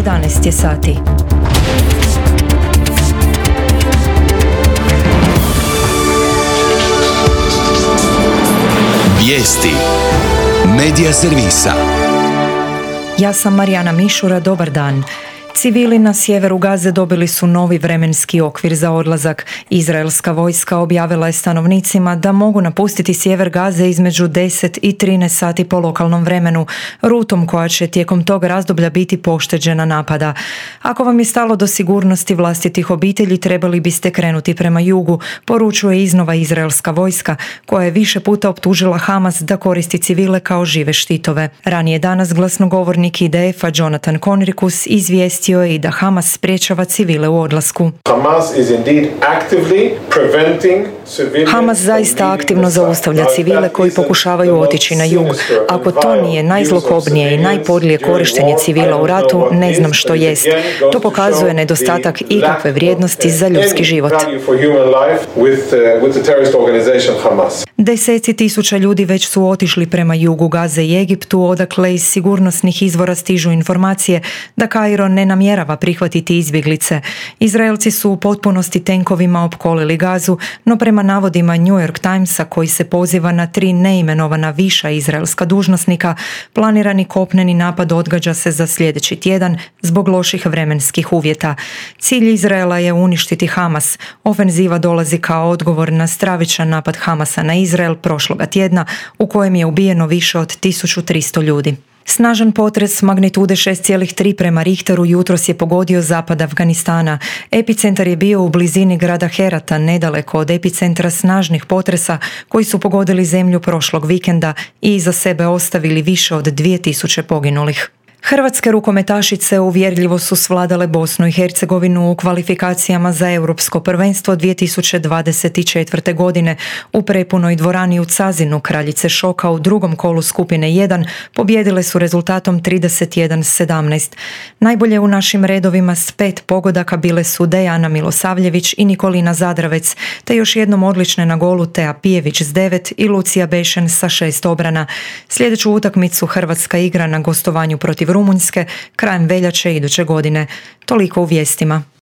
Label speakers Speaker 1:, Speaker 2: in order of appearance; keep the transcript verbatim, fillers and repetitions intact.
Speaker 1: jedanaest je sati.
Speaker 2: Vijesti Medija servisa.
Speaker 1: Ja sam Marijana Mišura, dobar dan. Civili na sjeveru Gaze dobili su novi vremenski okvir za odlazak. Izraelska vojska objavila je stanovnicima da mogu napustiti sjever Gaze između deset i trinaest sati po lokalnom vremenu, rutom koja će tijekom tog razdoblja biti pošteđena napada. Ako vam je stalo do sigurnosti vlastitih obitelji, trebali biste krenuti prema jugu, poručuje iznova izraelska vojska, koja je više puta optužila Hamas da koristi civile kao žive štitove. Ranije danas glasnogovornik I D F-a Jonathan Conricus izvijestio je i da Hamas sprječava civile u odlasku. Hamas zaista aktivno zaustavlja civile koji pokušavaju otići na jug. Ako to nije najzlokobnije i najpodlije korištenje civila u ratu, ne znam što jest. To pokazuje nedostatak ikakve vrijednosti za ljudski život. Deseci tisuća ljudi već su otišli prema jugu Gaze i Egiptu, odakle iz sigurnosnih izvora stižu informacije da Kairo ne namjerava prihvatiti izbjeglice. Izraelci su u potpunosti tenkovima opkolili Gazu, no prema navodima New York Timesa, koji se poziva na tri neimenovana viša izraelska dužnosnika, planirani kopneni napad odgađa se za sljedeći tjedan zbog loših vremenskih uvjeta. Cilj Izraela je uništiti Hamas. Ofenziva dolazi kao odgovor na stravičan napad Hamasa na Izrael prošloga tjedna, u kojem je ubijeno više od tisuću tristo ljudi. Snažan potres magnitude šest zarez tri prema Richteru jutros je pogodio zapad Afganistana. Epicentar je bio u blizini grada Herata, nedaleko od epicentra snažnih potresa koji su pogodili zemlju prošlog vikenda i iza sebe ostavili više od dvije tisuće poginulih. Hrvatske rukometašice uvjerljivo su svladale Bosnu i Hercegovinu u kvalifikacijama za Europsko prvenstvo dvije tisuće dvadeset četvrte. godine. U prepunoj dvorani u Cazinu Kraljice Šoka u drugom kolu skupine jedan pobijedile su rezultatom trideset jedan sedamnaest. Najbolje u našim redovima s pet pogodaka bile su Dejana Milosavljević i Nikolina Zadravec, te još jednom odlične na golu Tea Pijević s devet i Lucija Bešen sa šest obrana. Sljedeću utakmicu Hrvatska igra na gostovanju protiv Rumunjske krajem veljače iduće godine. Toliko u vijestima.